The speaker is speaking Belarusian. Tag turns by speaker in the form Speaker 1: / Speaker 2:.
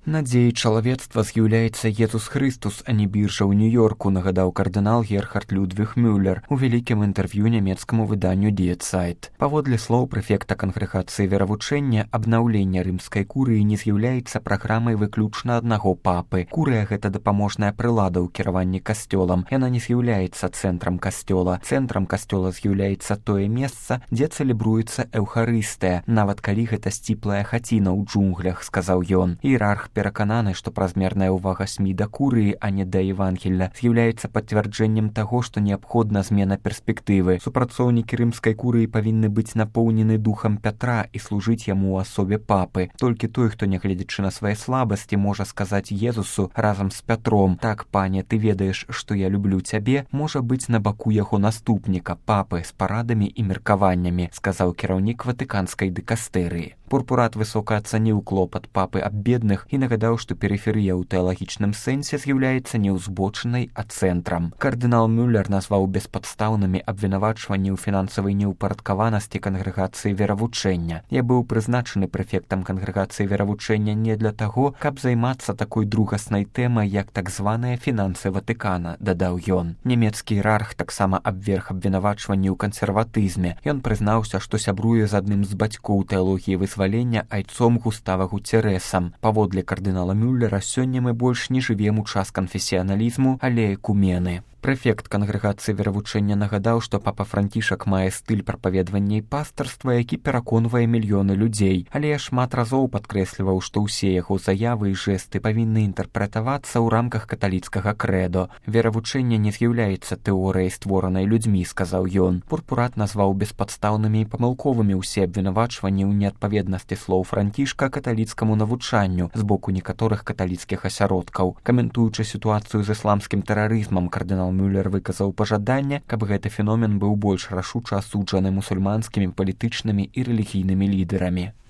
Speaker 1: Надзеяй чалавецтва з'яўляецца Езус Хрыстус, а не біржа ў Нью-Йорку, нагадаў кардынал Герхард Людвіг Мюллер у вялікім інтэрв'ю нямецкаму выданню Die Zeit. Паводле слоў прэфекта кангрэгацыі веравучэння, абнаўленне рымскай курыі не з'яўляецца праграмай выключна аднаго папы. Курыя — гэта дапаможная прылада ў кіраванні касцёлам. Яна не з'яўляецца цэнтрам касцёла. Цэнтрам касцёла з'яўляецца тое месца, дзе цэлебруецца эўхарыстыя, нават калі гэта сціплая хаціна ў джунглях, сказаў ён. Іерарх перакананы, што празмерная ўвага СМІ да курыі, а не да Евангелля, з'яўляецца пацвярджэннем таго, што неабходна змена перспектывы. Супрацоўнікі рымскай курыі павінны быць напоўнены духам Пятра і служыць яму ў асобе папы. Толькі той, хто, нягледзячы на свае слабасці, можа сказаць Езусу разам з Пятром: «Так, пане, ты ведаеш, што я люблю цябе», можа быць на баку яго наступніка, папы, з парадамі і меркаваннямі, сказаў кіраўнік ватыканскай дыкастэрыі. Пурпурат высока ацаніў клопат папы аб бедных і нагадаў, што перыферыя ў тэалагічным сэнсе з'яўляецца не ўзбочынай, а цэнтрам. Кардынал Мюллер назваў беспадстаўнымі абвінавачванні ў фінансавай неўпарадкаванасці кангрэгацыі веравучэння. Я быў прызначаны прэфектам кангрэгацыі веравучэння не для таго, каб займацца такой другаснай тэмай, як так званыя фінансы Ватыкана, дадаў ён. Нямецкі іерарх таксама абверг абвінавачванні ў кансерватызме. Ён прызнаўся, што сябруе з адным з бацькоў тэалогіі вызвалення айцом Густава Гуцерэсам. Паводле кардынала Мюллера, сёння мы больш не жывем у час канфесіяналізму, але экумены. Прэфект кангрэгацыі веравучэння нагадаў, што папа Францішак мае стыль прапаведвання і пастарства, які пераконвае мільёны людзей, але я шмат разоў падкрэсліваў, што ўсе яго заявы і жэсты павінны інтэрпрэтавацца ў рамках каталіцкага крэдо. Веравучэнне не з'яўляецца тэорыяй, створанай людзьмі, сказаў ён. Пурпурат назваў беспадстаўнымі і памылковымі ўсе абвінавачванні ў неадпаведнасці слоў Францішка каталіцкаму навучанню з боку некаторых каталіцкіх асяродкаў. Каментуючы сітуацыю з ісламскім тэрарызмам, кардынал Мюллер выказаў пажаданне, каб гэты феномен быў больш рашуча асуджаны мусульманскімі палітычнымі і рэлігійнымі лідэрамі.